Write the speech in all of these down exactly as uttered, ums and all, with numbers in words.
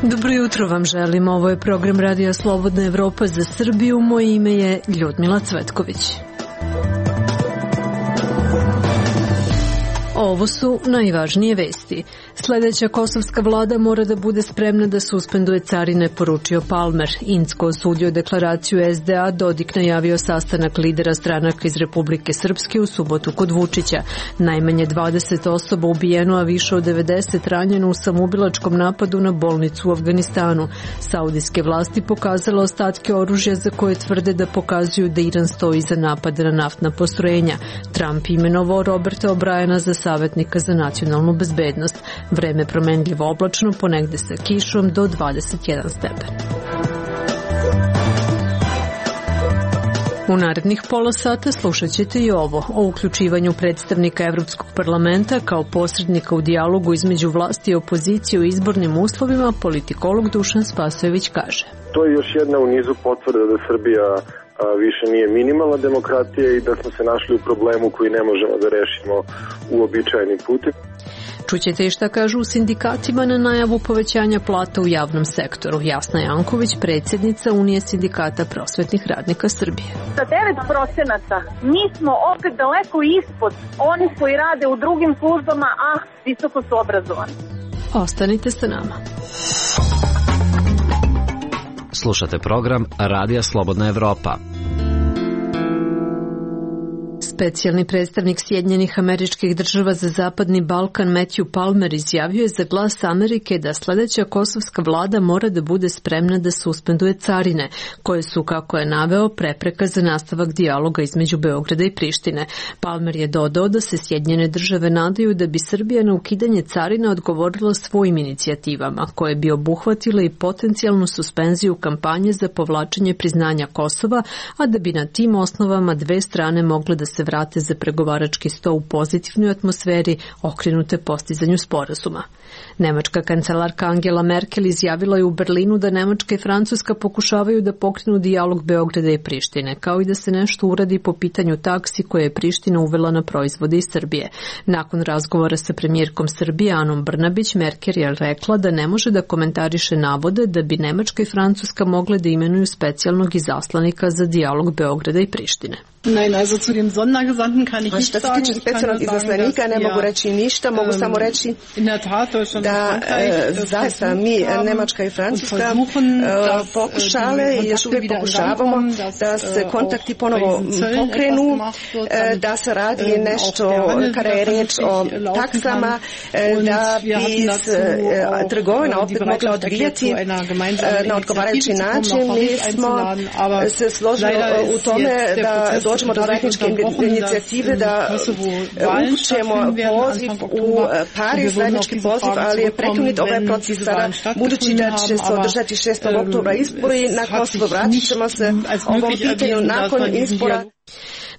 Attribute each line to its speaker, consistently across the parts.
Speaker 1: Dobro jutro vam želim, ovo je program Radija Slobodna Evropa za Srbiju, moje ime je Ljudmila Cvetković. Ovo su najvažnije vesti. Sledeća kosovska vlada mora da bude spremna da suspenduje carine, poručio Palmer. Incko osudio deklaraciju es de a, Dodik najavio sastanak lidera stranaka iz Republike Srpske u subotu kod Vučića. Najmanje dvadeset osoba ubijeno, a više od devedeset ranjeno u samoubilačkom napadu na bolnicu u Afganistanu. Saudijske vlasti pokazale ostatke oružja za koje tvrde da pokazuju da Iran stoji iza napada na naftna postrojenja. Trump imenovao Roberta O'Briena za savjetnika za nacionalnu bezbednost. Vreme promenljivo oblačno, ponegde sa kišom do dvadeset jedan stepen. U narednih pola sata slušat ćete i ovo o uključivanju predstavnika Evropskog parlamenta kao posrednika u dijalogu između vlasti i opozicije u izbornim uslovima, politikolog Dušan Spasojević kaže.
Speaker 2: To je još jedna u nizu potvrda da Srbija više nije minimalna demokratija i da smo se našli u problemu koji ne možemo da rešimo uobičajenim putem.
Speaker 1: Čućete i šta kažu u sindikatima na najavu povećanja plata u javnom sektoru. Jasna Janković, predsjednica Unije sindikata prosvetnih radnika Srbije.
Speaker 3: Sa devet procenata mi smo opet daleko ispod onih koji rade u drugim službama, a visoko su obrazovani.
Speaker 1: Ostanite sa nama.
Speaker 4: Slušate program Radija Slobodna Evropa.
Speaker 1: Specijalni predstavnik Sjedinjenih Američkih Država za Zapadni Balkan Matthew Palmer izjavio je za Glas Amerike da sledeća kosovska vlada mora da bude spremna da suspenduje carine, koje su, kako je naveo, prepreka za nastavak dijaloga između Beograda i Prištine. Palmer je dodao da se Sjedinjene Države nadaju da bi Srbija na ukidanje carina odgovorila svojim inicijativama, koje bi obuhvatile i potencijalnu suspenziju kampanje za povlačenje priznanja Kosova, a da bi na tim osnovama dve strane mogle da se vrate za pregovarački sto u pozitivnoj atmosferi okrenute postizanju sporazuma. Nemačka kancelarka Angela Merkel izjavila je u Berlinu da Nemačka i Francuska pokušavaju da pokrenu dijalog Beograda i Prištine, kao i da se nešto uradi po pitanju taksi koje je Priština uvela na proizvode iz Srbije. Nakon razgovora sa premijerkom Srbije Anom Brnabić, Merkel je rekla da ne može da komentariše navode da bi Nemačka i Francuska mogle da imenuju specijalnog izaslanika za dijalog Beograda i Prištine.
Speaker 5: Nein, also zu dem Sondergesandten kann ich nicht sagen.
Speaker 6: Što se tiče specijalnog izaslanika ne mogu reći ništa, mogu samo reći da zaista mi, Nemačka i Francuska, pokušale i još uvijek pokušavamo da se kontakti ponovo pokrenu, da se radi nešto kada je reč o taksama, da bi trgovina opet mogla odvijati na odgovarajući način. Mi smo se složili u tome da dođemo do zajedničke inicijative, da upućujemo poziv u Pariz, zajednički poziv, ali je prekinut ovaj proces sada, budući da će se održati šestog oktobra izbori na Kosovo. Vratit ćemo se ovom pitanju nakon izbora.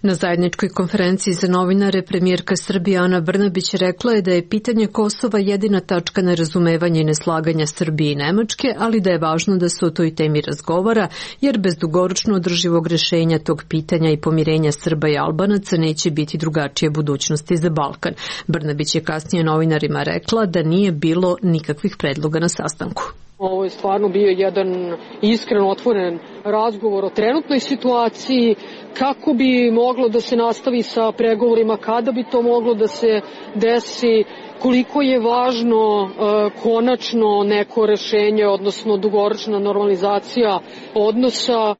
Speaker 1: Na zajedničkoj konferenciji za novinare premijerka Srbije Ana Brnabić rekla je da je pitanje Kosova jedina tačka nerazumevanja i neslaganja Srbije i Nemačke, ali da je važno da se o toj temi razgovara, jer bez dugoročno održivog rešenja tog pitanja i pomirenja Srba i Albanaca neće biti drugačije budućnosti za Balkan. Brnabić je kasnije novinarima rekla da nije bilo nikakvih predloga na sastanku.
Speaker 7: Ovo je stvarno bio jedan iskreno otvoren razgovor o trenutnoj situaciji, kako bi moglo da se nastavi sa pregovorima, kada bi to moglo da se desi, koliko je važno e, konačno neko rešenje, odnosno dugoročna normalizacija odnosa.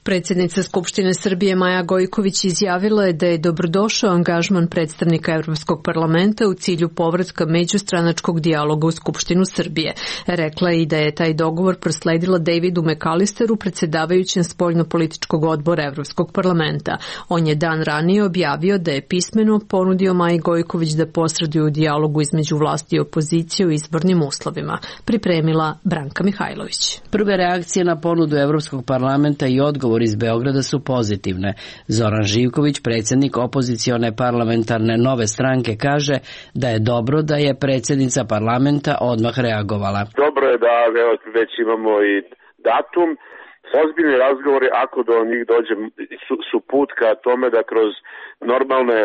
Speaker 1: Predsjednica Skupštine Srbije Maja Gojković izjavila je da je dobrodošao angažman predstavnika Evropskog parlamenta u cilju povratka međustranačkog dijaloga u Skupštinu Srbije. Rekla je i da je taj dogovor prosledila Davidu McAllisteru, predsjedavajućem spoljno-političkog odbora Evropskog parlamenta. On je dan ranije objavio da je pismeno ponudio Maji Gojković da posreduju u dijalogu između vlasti i opozicije u izbornim uslovima. Pripremila Branka Mihajlović.
Speaker 8: Prve reakcije na ponudu Evropskog parlamenta i odgovor iz Beograda su pozitivne. Zoran Živković, predsjednik opozicione parlamentarne Nove stranke, kaže da je dobro da je predsjednica parlamenta odmah reagovala.
Speaker 2: Dobro je da već imamo i datum
Speaker 9: Ozbiljni razgovori, ako do njih dođe, su, su put ka tome da kroz normalne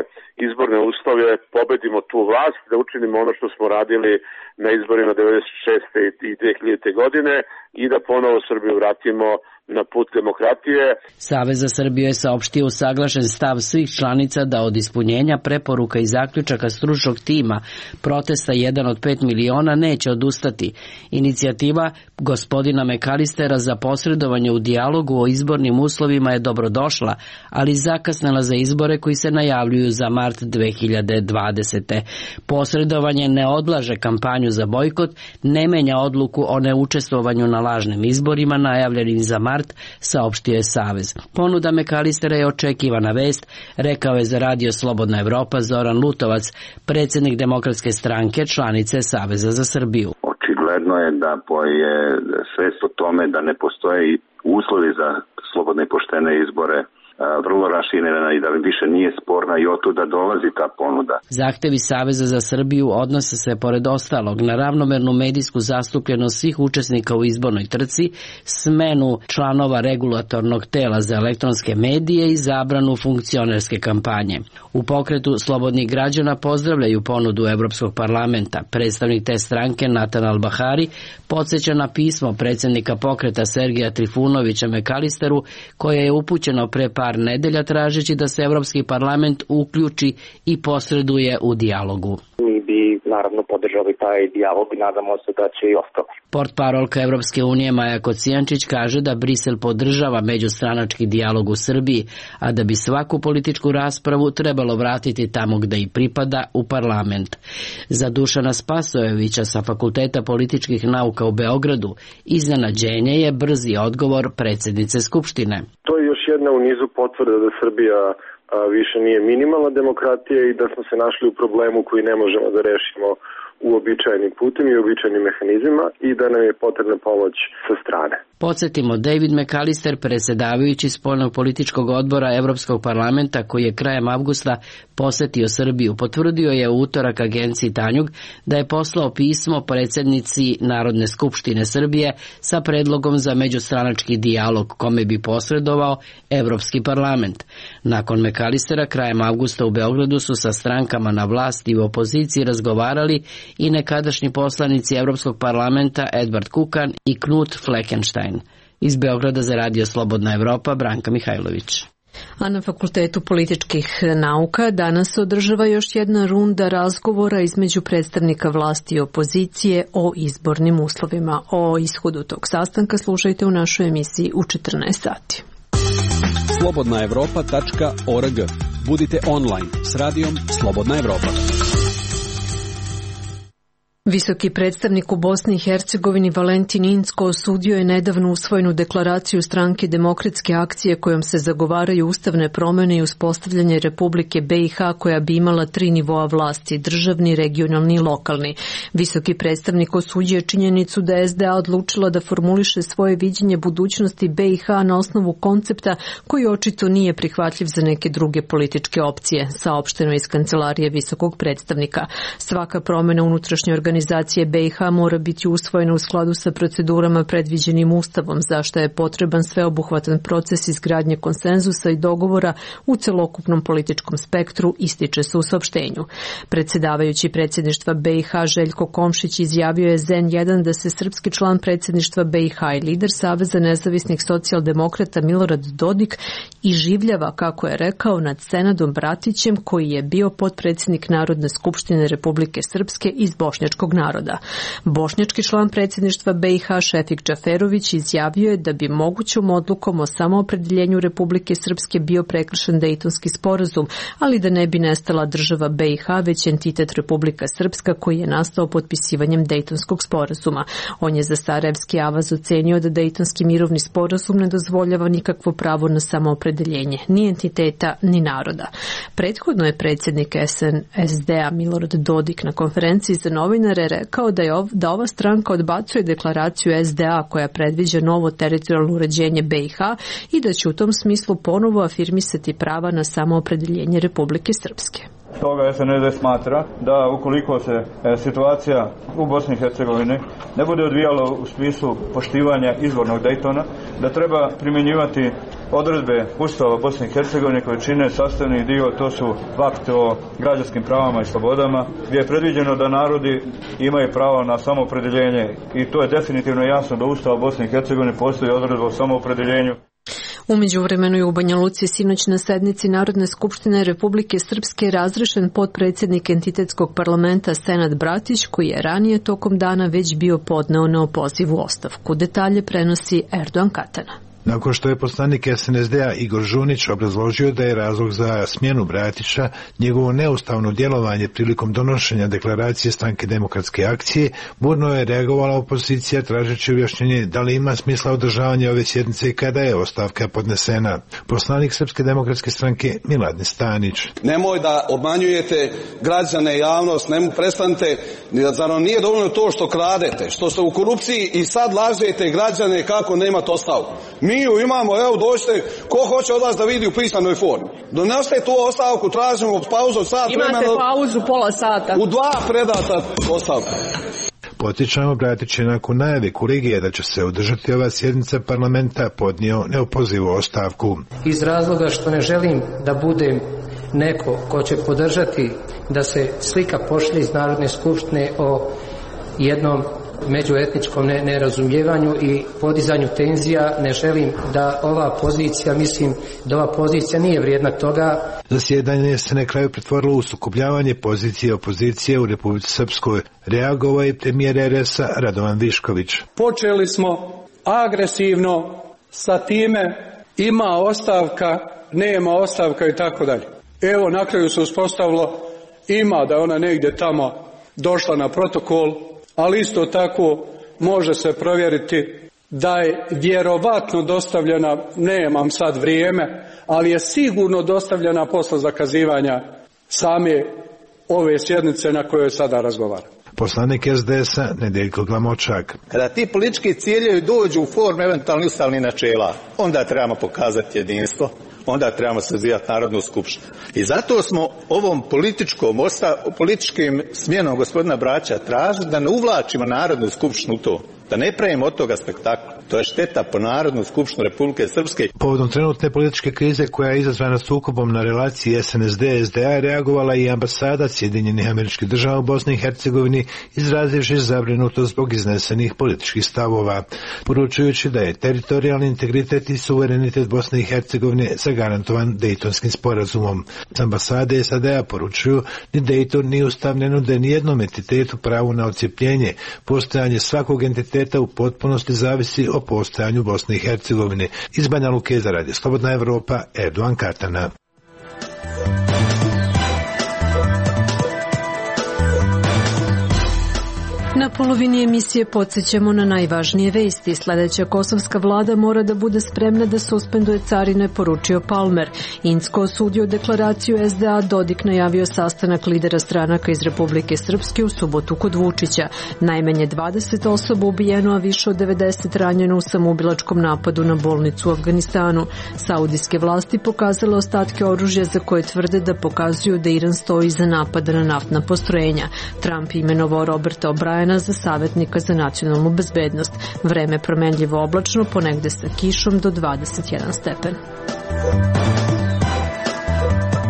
Speaker 9: izborne uslove pobedimo tu vlast, da učinimo ono što smo radili na izborima devedeset šeste i dve hiljadite godine i da ponovo Srbiju vratimo na put demokratije.
Speaker 8: Savez za Srbiju je saopštio usaglašen stav svih članica da od ispunjenja preporuka i zaključaka stručnog tima protesta jedan od pet miliona neće odustati. Inicijativa gospodina Mekalistera za posredovanje u dijalogu o izbornim uslovima je dobrodošla, ali zakasnela za izbore koji se najavljuju za mart dve hiljade dvadesete. Posredovanje ne odlaže kampanju za bojkot, ne menja odluku o neučestvovanju na lažnim izborima najavljenim za mart, saopštio je Savez. Ponuda Mekalistera je očekivana vest, rekao je za Radio Slobodna Evropa Zoran Lutovac, predsjednik Demokratske stranke, članice Saveza za Srbiju.
Speaker 10: Očigledno je da je svest o tome da ne postoje uslovi za slobodne i poštene izbore vrlo raširena i da više nije sporna i otuda dolazi ta ponuda.
Speaker 8: Zahtevi Saveza za Srbiju odnose se pored ostalog na ravnomernu medijsku zastupljenost svih učesnika u izbornoj trci, smenu članova regulatornog tela za elektronske medije i zabranu funkcionerske kampanje. U pokretu slobodnih građana pozdravljaju ponudu Evropskog parlamenta. Predstavnik te stranke Natan Albahari podsjeća na pismo predsjednika pokreta Sergeja Trifunovića Mekalisteru koje je upućeno pre par nedelja tražeći da se Evropski parlament uključi i posreduje u dijalogu.
Speaker 11: Mi bi naravno podržali taj dijalog i nadamo se da će i ostati.
Speaker 8: Portparolka Evropske unije Maja Kocijančić kaže da Brisel podržava međustranački dijalog u Srbiji, a da bi svaku političku raspravu trebalo vratiti tamo gde i pripada, u parlament. Za Dušana Spasojevića sa Fakulteta političkih nauka u Beogradu iznenađenje je brzi odgovor predsjednice Skupštine.
Speaker 2: To je još jedna u nizu potvrda da Srbija više nije minimalna demokratija i da smo se našli u problemu koji ne možemo da rešimo uobičajenim putem i uobičajenim mehanizmima i da nam je potrebna pomoć sa strane.
Speaker 8: Podsjetimo, David Mekalister, predsjedavajući spoljnog političkog odbora Evropskog parlamenta koji je krajem avgusta posetio Srbiju, potvrdio je u utorak agenciji Tanjug da je poslao pismo predsjednici Narodne skupštine Srbije sa predlogom za međustranački dijalog kome bi posredovao Evropski parlament. Nakon Mekalistera krajem avgusta u Beogradu su sa strankama na vlasti i u opoziciji razgovarali i nekadašnji poslanici Evropskog parlamenta Edvard Kukan i Knut Fleckenstein. Iz Beograda za Radio Slobodna Evropa, Branka Mihajlović.
Speaker 1: A na Fakultetu političkih nauka danas se održava još jedna runda razgovora između predstavnika vlasti i opozicije o izbornim uslovima. O ishodu tog sastanka slušajte u našoj emisiji u četrnaest sati.
Speaker 12: slobodna evropa tačka org. Budite online s radijom Slobodna Evropa.
Speaker 1: Visoki predstavnik u Bosni i Hercegovini Valentin Incko osudio je nedavno usvojenu deklaraciju stranke Demokratske akcije kojom se zagovaraju ustavne promjene i uspostavljanje Republike B i H koja bi imala tri nivoa vlasti, državni, regionalni i lokalni. Visoki predstavnik osudio je činjenicu da je S D A odlučila da formuliše svoje viđenje budućnosti B i H na osnovu koncepta koji očito nije prihvatljiv za neke druge političke opcije, saopšteno iz kancelarije visokog predstavnika. Svaka promjena unutrašnje organizacije Organizacije B i H mora biti usvojena u skladu sa procedurama predviđenim Ustavom, za što je potreban sveobuhvatan proces izgradnje konsenzusa i dogovora u celokupnom političkom spektru, ističe se u saopštenju. Predsjedavajući predsjedništva B i H Željko Komšić izjavio je Z N jedan da se srpski član predsjedništva B i H i lider Saveza nezavisnih socijaldemokrata Milorad Dodik iživljava, kako je rekao, nad Senadom Bratićem koji je bio potpredsjednik Narodne skupštine Republike Srpske iz Bošnjačkog naroda. Bošnjački član predsjedništva B i H Šefik Džaferović izjavio je da bi mogućom odlukom o samoopredeljenju Republike Srpske bio prekršen Dejtonski sporazum, ali da ne bi nestala država B i H već entitet Republika Srpska koji je nastao potpisivanjem Dejtonskog sporazuma. On je za Sarajevski avaz ocenio da Dejtonski mirovni sporazum ne dozvoljava nikakvo pravo na samoopredeljenje, ni entiteta, ni naroda. Prethodno je predsjednik S D A Milorad Dodik na konferenciji za novinare rekao da je ov, da ova stranka odbacuje deklaraciju S D A koja predviđa novo teritorijalno uređenje B i H i da će u tom smislu ponovo afirmisati prava na samoopredeljenje Republike Srpske.
Speaker 13: Stoga S N D smatra da ukoliko se situacija u Bosni i Hercegovini ne bude odvijala u smislu poštivanja izvornog Daytona, da treba primjenjivati odredbe Ustava Bosne i Hercegovine koje čine sastavni dio, to su akt o građanskim pravama i slobodama, gdje je predviđeno da narodi imaju pravo na samoopredeljenje i to je definitivno jasno da Ustava Bosne i Hercegovine postoji odredba o samoopredeljenju.
Speaker 1: U međuvremenu je u Banja Luci sinoć na sednici Narodne skupštine Republike Srpske razrešen potpredsjednik entitetskog parlamenta Senad Bratić, koji je ranije tokom dana već bio podneo neopozivu ostavku. Detalje prenosi Erdogan Katana.
Speaker 14: Nakon što je poslanik S N S D-a Igor Žunić obrazložio da je razlog za smjenu Bratića njegovo neustavno djelovanje prilikom donošenja deklaracije Stranke demokratske akcije, burno je reagovala opozicija tražeći objašnjenje da li ima smisla održavanje ove sjednice i kada je ostavka podnesena. Poslanik Srpske demokratske stranke Miladin Stanić.
Speaker 15: Nemoj da obmanjujete građane i javnost, nemo prestanite, zar vam nije dovoljno to što kradete, što ste u korupciji i sad lažete građane kako nemate ostavku. Mi ju imamo, evo dođite, ko hoće od vas da vidi u pisanoj formi. Donesite tu ostavku, tražimo pauzu od sat vremena.
Speaker 5: Imate pauzu pola sata.
Speaker 15: U dva predata ostavka.
Speaker 14: Podsjećamo, Bratić je nakon najave Kurigije da će se održati ova sjednica parlamenta podnio neopozivu ostavku.
Speaker 16: Iz razloga što ne želim da budem neko ko će podržati da se slika pošlje iz Narodne skupštine o jednom međuetničkom nerazumijevanju i podizanju tenzija, ne želim da ova pozicija, mislim da ova pozicija nije vrijedna toga.
Speaker 14: Zasjedanje se na kraju pretvorilo u sukobljavanje pozicije opozicije u Republici Srpskoj. Reagovao je premijer R S-a Radovan Višković.
Speaker 17: Počeli smo agresivno sa time ima ostavka, nema ostavka i tako dalje. Evo, na kraju se uspostavilo ima da ona negdje tamo došla na protokol, ali isto tako može se provjeriti da je vjerovatno dostavljena, nemam sad vrijeme, ali je sigurno dostavljena posle zakazivanja same ove sjednice na kojoj sada razgovaram.
Speaker 14: Poslanik S D S-a Nedeljko Glamočak.
Speaker 18: Kada ti politički ciljevi dođu u formu eventualnih ustavnih načela, onda trebamo pokazati jedinstvo, onda trebamo sazivati Narodnu skupštinu. I zato smo ovom političkom, osta, političkim smjenom gospodina Bratića tražili da ne uvlačimo Narodnu skupštinu u to, da ne pravimo od toga spektakla. To je šteta po Narodnu skupštinu Republike Srpske.
Speaker 14: Povodom trenutne političke krize koja je izazvana sukobom na relaciji S N S D S D A reagovala i ambasada Sjedinjenih Američkih Država u Bosni i Hercegovini, izrazivši zabrinutost zbog iznesenih političkih stavova, poručujući da je teritorijalni integritet i suverenitet Bosne i Hercegovine zagarantovan Dejtonskim sporazumom. Ambasade S A D A poručuju ni Dejton ni Ustav ne nude ni jednom entitetu pravu na odcijepljenje. Postojanje svakog entiteta u potpunosti zavisi o postojanju Bosne i Hercegovine. Iz Banja Luke za Radio Slobodna Evropa, Erdogan Katana.
Speaker 1: Na polovini emisije podsjećamo na najvažnije vesti. Sljedeća kosovska vlada mora da bude spremna da suspenduje carine, poručio Palmer. Incko osudio deklaraciju S D A, Dodik najavio sastanak lidera stranaka iz Republike Srpske u subotu kod Vučića. Najmanje dvadeset osoba ubijeno, a više od devedeset ranjeno u samoubilačkom napadu na bolnicu u Afganistanu. Saudijske vlasti pokazale ostatke oružja za koje tvrde da pokazuju da Iran stoji iza napada na naftna postrojenja. Trump imenovao Roberta O'Briena za savjetnika za nacionalnu bezbednost. Vreme promenljivo oblačno, ponegde sa kišom do dvadeset jedan stepen.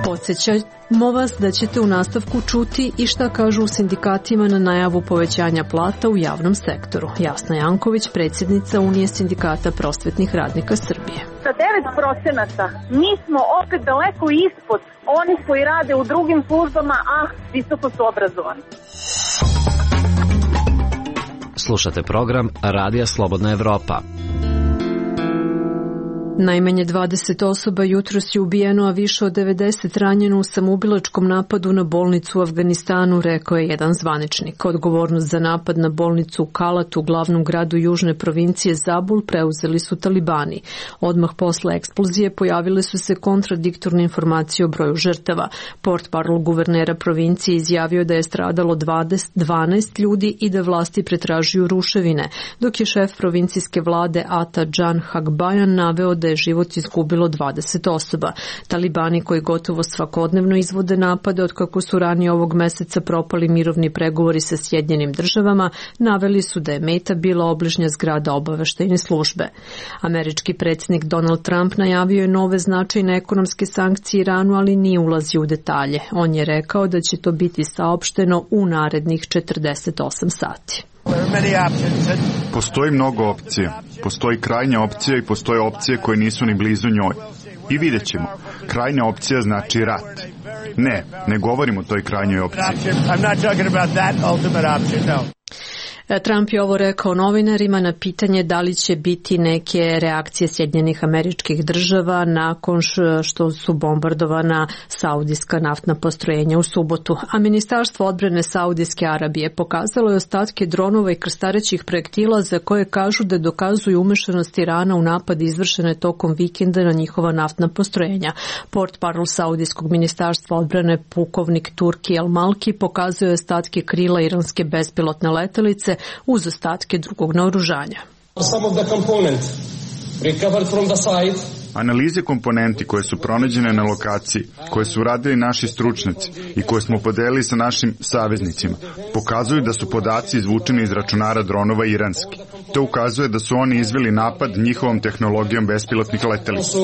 Speaker 1: Podsjećamo vas da ćete u nastavku čuti i šta kažu u sindikatima na najavu povećanja plata u javnom sektoru. Jasna Janković, predsjednica Unije sindikata prosvetnih radnika Srbije.
Speaker 3: Sa devet procenata mi smo opet daleko ispod onih koji rade u drugim službama, a visoko su obrazovani.
Speaker 4: Slušate program Radija Slobodna Evropa.
Speaker 1: Najmanje dvadeset osoba jutros je ubijeno, a više od devedeset ranjeno u samoubilačkom napadu na bolnicu u Afganistanu, rekao je jedan zvaničnik. Odgovornost za napad na bolnicu u Kalatu, glavnom gradu južne provincije Zabul, preuzeli su talibani. Odmah posle eksplozije pojavile su se kontradiktorne informacije o broju žrtava. Portparol guvernera provincije izjavio da je stradalo dvanaest ljudi i da vlasti pretražuju ruševine, dok je šef provincijske vlade Ata Can Hagbajan naveo da je život izgubilo dvadeset osoba. Talibani koji gotovo svakodnevno izvode napade od kako su ranije ovog meseca propali mirovni pregovori sa Sjedinjenim državama, naveli su da je meta bila obližnja zgrada obaveštajne službe. Američki predsjednik Donald Trump najavio je nove značajne ekonomske sankcije Iranu, ali nije ulazio u detalje. On je rekao da će to biti saopšteno u narednih četrdeset osam sati.
Speaker 19: Postoji mnogo opcija. Postoji krajnja opcija i postoje opcije koje nisu ni blizu njoj. I vidjet ćemo. Krajnja opcija znači rat. Ne, ne govorim o toj krajnjoj opciji.
Speaker 1: Trump je ovo rekao novinarima na pitanje da li će biti neke reakcije Sjedinjenih Američkih Država nakon što su bombardovana saudijska naftna postrojenja u subotu. A Ministarstvo odbrane Saudijske Arabije pokazalo je ostatke dronova i krstarećih projektila za koje kažu da dokazuju umešanost Irana u napad izvršene tokom vikenda na njihova naftna postrojenja. Portparol Saudijskog ministarstva odbrane pukovnik Turki El Malki pokazuje ostatke krila iranske bespilotne letelice uz ostatke drugog naoružanja.
Speaker 19: Analize komponenti koje su pronađene na lokaciji, koje su radili naši stručnjaci i koje smo podelili sa našim saveznicima, pokazuju da su podaci izvučeni iz računara dronova iranski. To ukazuje da su oni izveli napad njihovom tehnologijom bespilotnih letelica.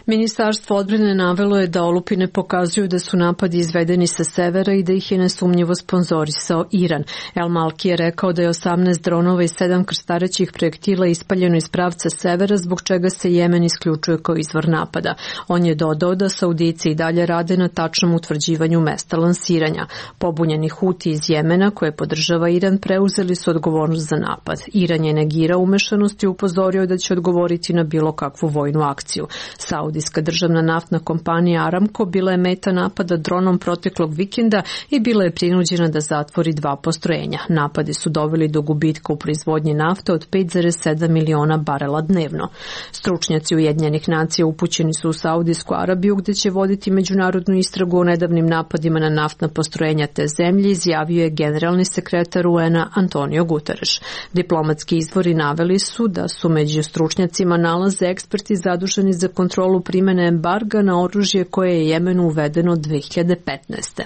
Speaker 1: Ministarstvo odbrane navelo je da olupine pokazuju da su napadi izvedeni sa severa i da ih je nesumnjivo sponzorisao Iran. El Malki je rekao da je osamnaest dronova i sedam krstarećih projektila ispaljeno iz pravca severa, zbog čega se Jemen isključuje kao izvor napada. On je dodao da Saudici i dalje rade na tačnom utvrđivanju mesta lansiranja. Pobunjeni Huti iz Jemena, koje podržava Iran, preuzeli su odgovornost za napad. Iran je negirao umešanost i upozorio da će odgovoriti na bilo kakvu vojnu akciju. Saudi Saudijska državna naftna kompanija Aramco bila je meta napada dronom proteklog vikenda i bila je prinuđena da zatvori dva postrojenja. Napadi su doveli do gubitka u proizvodnji nafte od pet zarez sedam miliona barela dnevno. Stručnjaci Ujedinjenih nacija upućeni su u Saudijsku Arabiju gde će voditi međunarodnu istragu o nedavnim napadima na naftna postrojenja te zemlje, izjavio je generalni sekretar U N-a Antonio Guterres. Diplomatski izvori naveli su da su među stručnjacima nalaze eksperti zaduženi za kontrolu primene embarga na oružje koje je Jemenu uvedeno dve hiljade petnaeste.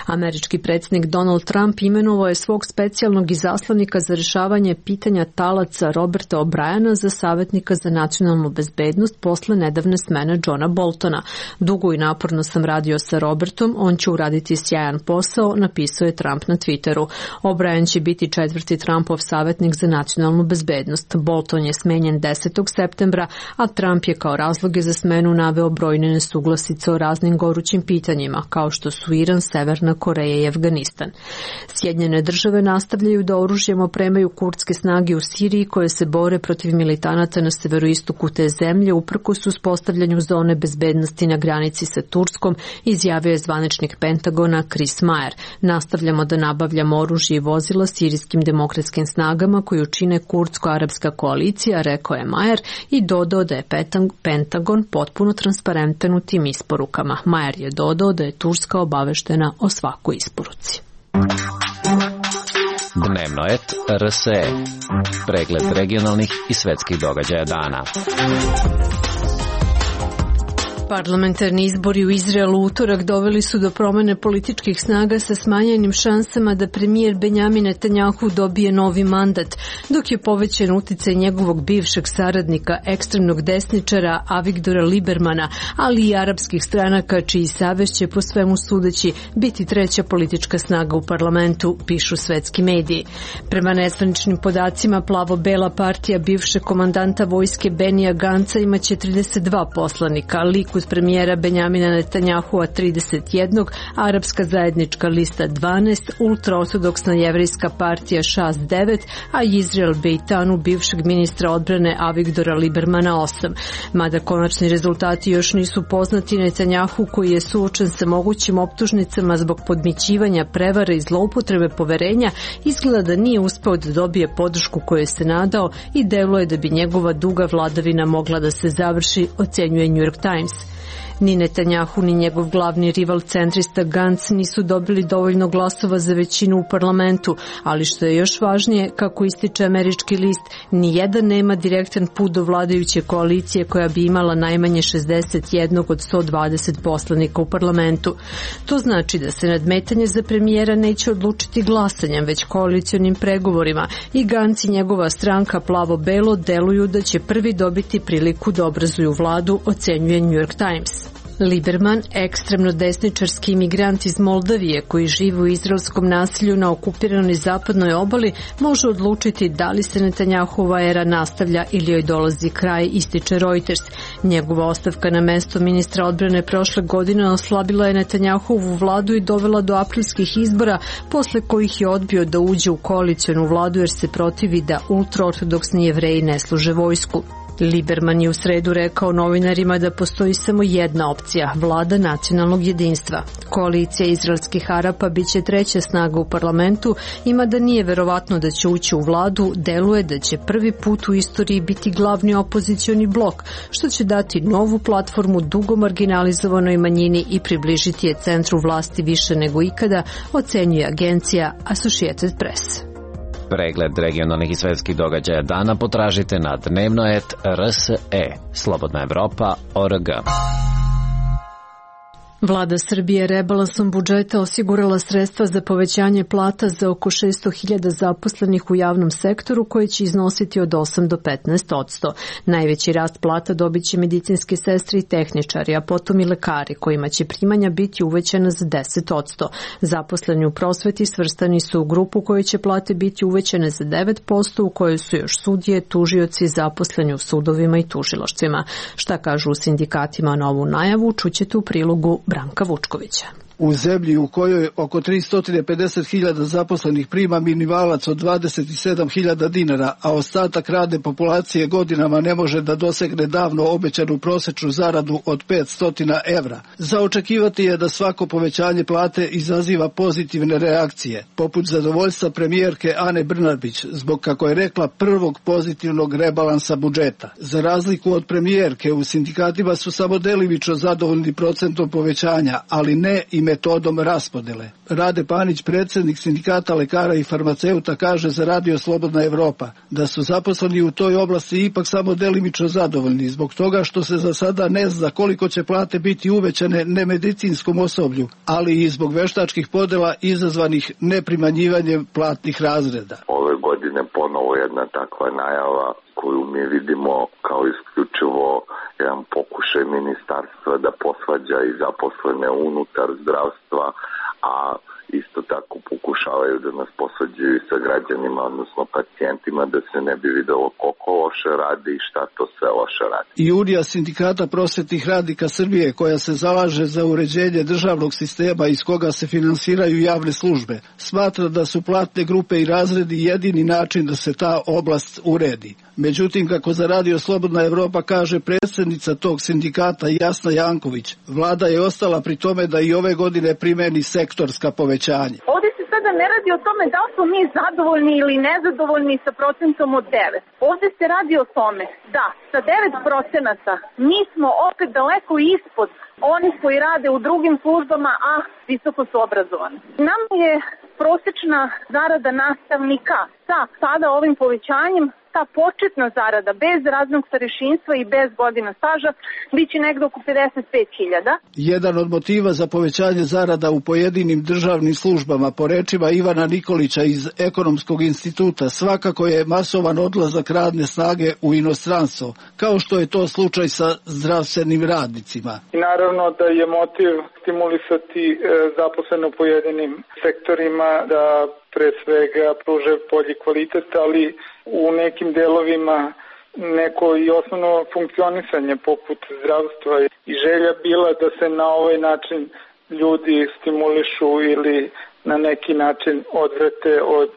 Speaker 1: Američki predsjednik Donald Trump imenovao je svog specijalnog izaslanika za rješavanje pitanja talaca Roberta O'Briena za savjetnika za nacionalnu bezbednost posle nedavne smene Johna Boltona. Dugo i naporno sam radio sa Robertom, on će uraditi sjajan posao, napisao je Trump na Twitteru. O'Brien će biti četvrti Trumpov savjetnik za nacionalnu bezbednost. Bolton je smenjen desetog septembra, a Trump je kao razloge za smenu naveo brojne nesuglasice o raznim gorućim pitanjima, kao što su Iran, Severna Koreja i Afganistan. Sjedinjene države nastavljaju da oružjem opremaju kurdske snage u Siriji koje se bore protiv militanata na severoistoku te zemlje uprkos uspostavljanju zone bezbednosti na granici sa Turskom, izjavio je zvaničnik Pentagona Chris Mayer. Nastavljamo da nabavljamo oružje i vozila sirijskim demokratskim snagama koju čine kurdsko-arapska koalicija, rekao je Mayer i dodao da je Pentagon potpuno transparentan u tim isporukama. Mayer je dodao da je Turska obaveštena o svakoj isporuci.
Speaker 4: Dnevnoet R S E. Pregled regionalnih i svetskih događaja dana.
Speaker 1: Parlamentarni izbori u Izraelu u utorak doveli su do promene političkih snaga sa smanjenim šansama da premijer Benjamin Netanjahu dobije novi mandat, dok je povećan uticaj njegovog bivšeg saradnika, ekstremnog desničara Avigdora Libermana, ali i arapskih stranaka čiji savez će po svemu sudeći biti treća politička snaga u parlamentu, pišu svetski mediji. Prema nezvaničnim podacima, plavo-bela partija bivšeg komandanta vojske Benija Ganca imaće trideset dva poslanika, Likud premijera Benjamina Netanjahua trideset jedan, Arapska zajednička lista dvanaest, ultraortodoksna jevrejska partija Šas devet, a Izrael Bejtanu bivšeg ministra odbrane Avigdora Libermana osam. Mada konačni rezultati još nisu poznati, Netanjahu, koji je suočen sa mogućim optužnicama zbog podmićivanja, prevara i zloupotrebe poverenja, izgleda da nije uspeo da dobije podršku koju se nadao i deluje da bi njegova duga vladavina mogla da se završi, ocenjuje New York Times. Ni Netanjahu ni njegov glavni rival centrista Gantz nisu dobili dovoljno glasova za većinu u parlamentu, ali što je još važnije, kako ističe američki list, ni jedan nema direktan put do vladajuće koalicije koja bi imala najmanje šezdeset jedan od sto dvadeset poslanika u parlamentu. To znači da se nadmetanje za premijera neće odlučiti glasanjem, već koalicionim pregovorima i Gantz i njegova stranka Plavo-belo deluju da će prvi dobiti priliku da obrazuju vladu, ocenjuje New York Times. Liberman, ekstremno desničarski imigrant iz Moldavije koji živi u izraelskom nasilju na okupiranoj zapadnoj obali, može odlučiti da li se Netanjahova era nastavlja ili joj dolazi kraj, ističe Reuters. Njegova ostavka na mesto ministra odbrane prošle godine oslabila je Netanjahovu vladu i dovela do aprilskih izbora, posle kojih je odbio da uđe u koalicionu vladu jer se protivi da ultraortodoksni Jevreji ne služe vojsku. Liberman je u sredu rekao novinarima da postoji samo jedna opcija, vlada nacionalnog jedinstva. Koalicija izraelskih Arapa biće treća snaga u parlamentu, ima da nije verovatno da će ući u vladu, deluje da će prvi put u istoriji biti glavni opozicioni blok, što će dati novu platformu dugo marginalizovanoj manjini i približiti je centru vlasti više nego ikada, ocenjuje agencija Associated Press.
Speaker 4: Pregled regionalnih i svetskih događaja dana potražite na dnevnoet R S E, Slobodna Evropa, O R G.
Speaker 1: Vlada Srbije rebalansom budžeta osigurala sredstva za povećanje plata za oko šesto hiljada zaposlenih u javnom sektoru koje će iznositi od osam do petnaest posto. Najveći rast plata dobit će medicinske sestre i tehničari, a potom i lekari kojima će primanja biti uvećana za deset posto. Zaposleni u prosveti svrstani su u grupu koje će plate biti uvećane za devet posto, u kojoj su još sudije, tužioci, zaposleni u sudovima i tužilaštvima. Šta kažu u sindikatima na ovu najavu, čućete u prilogu Branka Vučkovića.
Speaker 20: U zemlji u kojoj oko tristo pedeset hiljada zaposlenih prima minimalac od dvadeset sedam hiljada dinara, a ostatak radne populacije godinama ne može da dosegne davno obećanu prosečnu zaradu od petsto evra. Za očekivati je da svako povećanje plate izaziva pozitivne reakcije, poput zadovoljstva premijerke Ane Brnabić, zbog, kako je rekla, prvog pozitivnog rebalansa budžeta. Za razliku od premijerke, u sindikatima su samo delimično zadovoljni procentom povećanja, ali ne i metodom raspodele. Rade Panić, predsjednik sindikata lekara i farmaceuta, kaže za Radio Slobodna Evropa da su zaposleni u toj oblasti ipak samo delimično zadovoljni zbog toga što se za sada ne zna koliko će plate biti uvećane nemedicinskom osoblju, ali i zbog veštačkih podela izazvanih neprimanjivanjem platnih razreda.
Speaker 21: Ove godine ponovo jedna takva najava koju mi vidimo kao isključivo jedan pokušaj ministarstva da posvađa i zaposlene unutar zdravstva, a isto tako pokušavaju da nas posvađaju sa građanima, odnosno pacijentima, da se ne bi videlo koliko loše radi i šta to sve loše radi.
Speaker 20: I Unija sindikata prosvetnih radnika Srbije, koja se zalaže za uređenje državnog sistema iz koga se finansiraju javne službe, smatra da su platne grupe i razredi jedini način da se ta oblast uredi. Međutim, kako za Radio Slobodna Evropa kaže predsjednica tog sindikata Jasna Janković, vlada je ostala pri tome da i ove godine primeni sektorska povećanja.
Speaker 3: Ovdje se sada ne radi o tome da li smo mi zadovoljni ili nezadovoljni sa procentom od devet. Ovdje se radi o tome da sa devet procenata mi smo opet daleko ispod onih koji rade u drugim službama, a visoko su obrazovani. Nam je prosečna zarada nastavnika sa sada ovim povećanjem, ta početna zarada bez raznog starešinstva i bez godina staža biće negde oko pedeset pet hiljada.
Speaker 20: Jedan od motiva za povećanje zarada u pojedinim državnim službama, po rečima Ivana Nikolića iz Ekonomskog instituta, svakako je masovan odlazak radne snage u inostranstvo, kao što je to slučaj sa zdravstvenim radnicima.
Speaker 22: I naravno da je motiv stimulisati e, zaposleno u pojedinim sektorima da pre svega pruže bolji kvalitet, ali u nekim delovima neko i osnovno funkcionisanje poput zdravstva i želja bila da se na ovaj način ljudi stimulišu ili na neki način odvrate od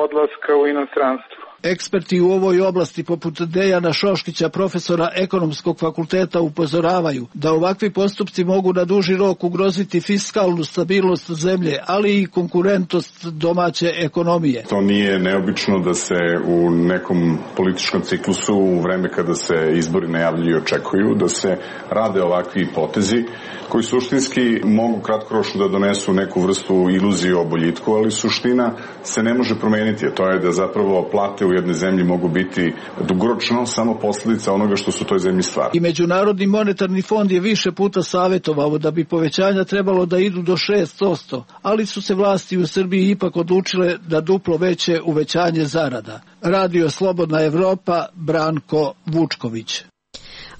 Speaker 22: odlaska u inostranstvo.
Speaker 20: Eksperti u ovoj oblasti poput Dejana Šoškića, profesora ekonomskog fakulteta, upozoravaju da ovakvi postupci mogu na duži rok ugroziti fiskalnu stabilnost zemlje, ali i konkurentnost domaće ekonomije.
Speaker 6: To nije neobično da se u nekom političkom ciklusu, u vreme kada se izbori najavljuju i očekuju, da se rade ovakvi potezi koji suštinski mogu kratkoročno da donesu neku vrstu iluzije o boljitku, ali suština se ne može promeniti, a to je da zapravo plate u jednoj zemlji mogu biti dugoročno samo posljedica onoga što su u toj zemlji stvari.
Speaker 20: I Međunarodni monetarni fond je više puta savjetovao da bi povećanja trebalo da idu do šest posto, ali su se vlasti u Srbiji ipak odlučile da duplo veće uvećanje zarada. Radio Slobodna Evropa, Branko Vučković.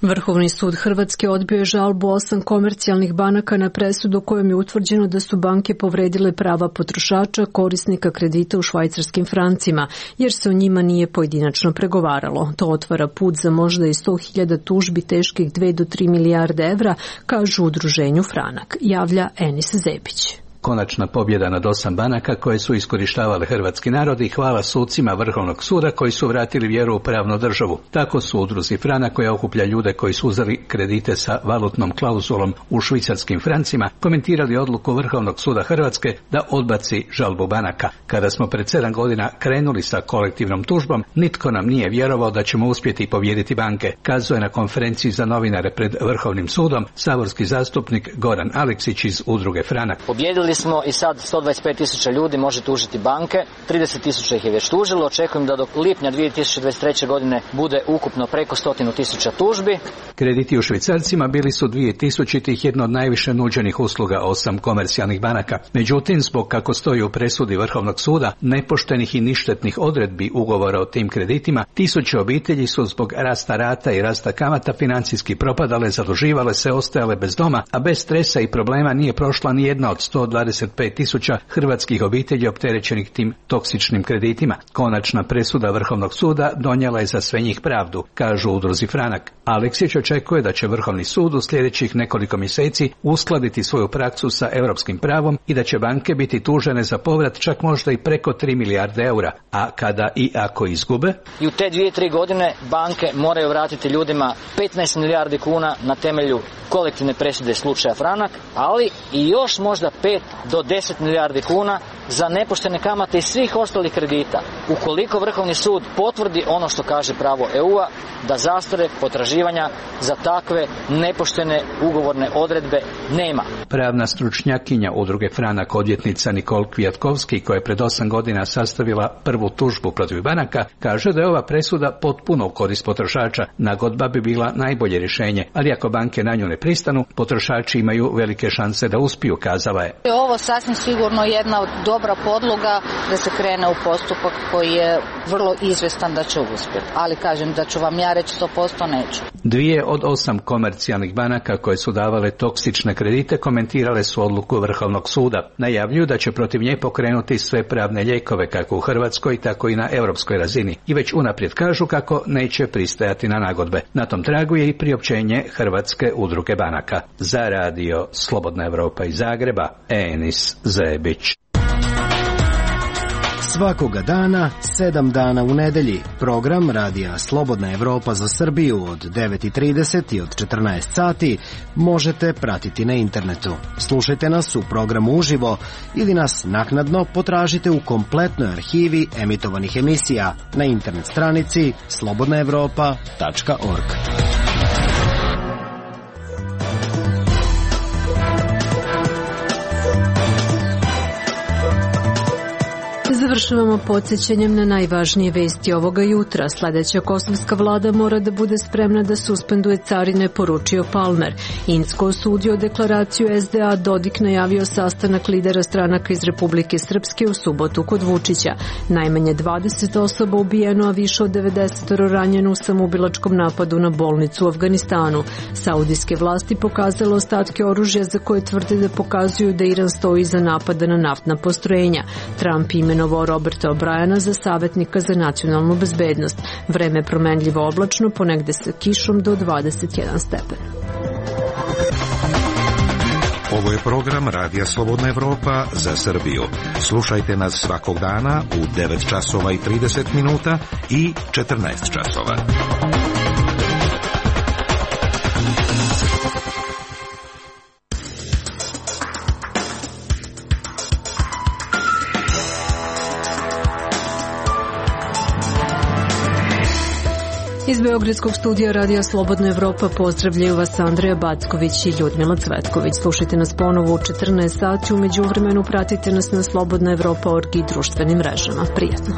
Speaker 1: Vrhovni sud Hrvatske odbio je žalbu osam komercijalnih banaka na presudu kojom je utvrđeno da su banke povredile prava potrošača korisnika kredita u švajcarskim francima, jer se o njima nije pojedinačno pregovaralo. To otvara put za možda i sto hiljada tužbi teških dve do tri milijarde evra, kažu u udruženju Franak, javlja Enis Zebić.
Speaker 7: Konačna pobjeda nad osam banaka koje su iskorištavale hrvatski narod i hvala sucima Vrhovnog suda koji su vratili vjeru u pravnu državu. Tako su udruzi Franak, koja okuplja ljude koji su uzeli kredite sa valutnom klauzulom u švicarskim francima, komentirali odluku Vrhovnog suda Hrvatske da odbaci žalbu banaka. Kada smo pred sedam godina krenuli sa kolektivnom tužbom, nitko nam nije vjerovao da ćemo uspjeti pobijediti banke, kazuje na konferenciji za novinare pred Vrhovnim sudom saborski zastupnik Goran Aleksić iz udruge Franak.
Speaker 23: Pobjedili smo i sad sto dvadeset pet tisuća ljudi može tužiti banke, trideset tisuća ih je već tužilo, očekujem da do lipnja dvije tisuće dvadeset treće godine bude ukupno preko stotinu tisuća tužbi.
Speaker 7: Krediti u švicarcima bili su dvije tisućitih jedno od najviše nuđenih usluga osam komercijalnih banaka. Međutim, zbog, kako stoji u presudi Vrhovnog suda, nepoštenih i ništetnih odredbi ugovora o tim kreditima, tisuće obitelji su zbog rasta rata i rasta kamata financijski propadale, zaduživale se, ostajale bez doma, a bez stresa i problema nije prošla ni jedna od sto dvadeset pet tisuća hrvatskih obitelji opterećenih tim toksičnim kreditima. Konačna presuda Vrhovnog suda donijela je za sve njih pravdu, kažu u udruzi Franak. Aleksić očekuje da će Vrhovni sud u sljedećih nekoliko mjeseci uskladiti svoju praksu sa europskim pravom i da će banke biti tužene za povrat čak možda i preko tri milijarde eura, a kada i ako izgube?
Speaker 23: I u te dvije, tri godine banke moraju vratiti ljudima petnaest milijardi kuna na temelju kolektivne presude slučaja Franak, ali i još možda pet do deset milijardi kuna za nepoštene kamate i svih ostalih kredita. Ukoliko Vrhovni sud potvrdi ono što kaže pravo E U-a, da zastare potraživanja za takve nepoštene ugovorne odredbe nema.
Speaker 7: Pravna stručnjakinja udruge Franak, odvjetnica Nikol Kvjatkovski, koja je pred osam godina sastavila prvu tužbu protiv banaka, kaže da je ova presuda potpuno u korist potrošača. Nagodba bi bila najbolje rješenje, ali ako banke na nju ne pristanu, potrošači imaju velike šanse da uspiju, kazala je.
Speaker 24: Ovo sasvim sigurno jedna od dobra podloga da se krene u postupak koji je vrlo izvestan da će uspjeti. Ali kažem da ću vam ja reći sto posto neću.
Speaker 7: Dvije od osam komercijalnih banaka koje su davale toksične kredite komentirale su odluku Vrhovnog suda. Najavljuju da će protiv nje pokrenuti sve pravne lijekove kako u Hrvatskoj, tako i na europskoj razini. I već unaprijed kažu kako neće pristajati na nagodbe. Na tom tragu je i priopćenje Hrvatske udruge banaka. Za radio Slobodna Evropa iz Zagreba, Enis Zebić.
Speaker 25: Svakoga dana, sedam dana u nedelji, program radija Slobodna Evropa za Srbiju od devet i trideset i od četrnaest sati možete pratiti na internetu. Slušajte nas u programu uživo ili nas naknadno potražite u kompletnoj arhivi emitovanih emisija na internet stranici slobodna evropa tačka org.
Speaker 1: Završavamo podsjećanjem na najvažnije vesti ovoga jutra. Sljedeća kosovska vlada mora da bude spremna da suspenduje carine, poručio Palmer. Incko osudio deklaraciju S D A, Dodik najavio sastanak lidera stranaka iz Republike Srpske u subotu kod Vučića. Najmanje dvadeset osoba ubijeno, a više od devedeset ranjeno u samoubilačkom napadu na bolnicu u Afganistanu. Saudijske vlasti pokazale ostatke oružja za koje tvrde da pokazuju da Iran stoji iza napada na naftna postrojenja. Trump imenovao Roberta O'Briena za savjetnika za nacionalnu bezbednost. Vreme je promenljivo oblačno, ponegde sa kišom do dvadeset jedan stepen.
Speaker 2: Ovo je program Radija Slobodna Evropa za Srbiju. Slušajte nas svakog dana u devet časova i trideset minuta i četrnaest časova.
Speaker 1: Iz Beogradskog studija Radija Slobodna Evropa pozdravljaju vas Andreja Backović i Ljudmila Cvetković. Slušajte nas ponovo u četrnaest sati, u međuvremenu pratite nas na slobodna evropa tačka org i društvenim mrežama. Prijatno.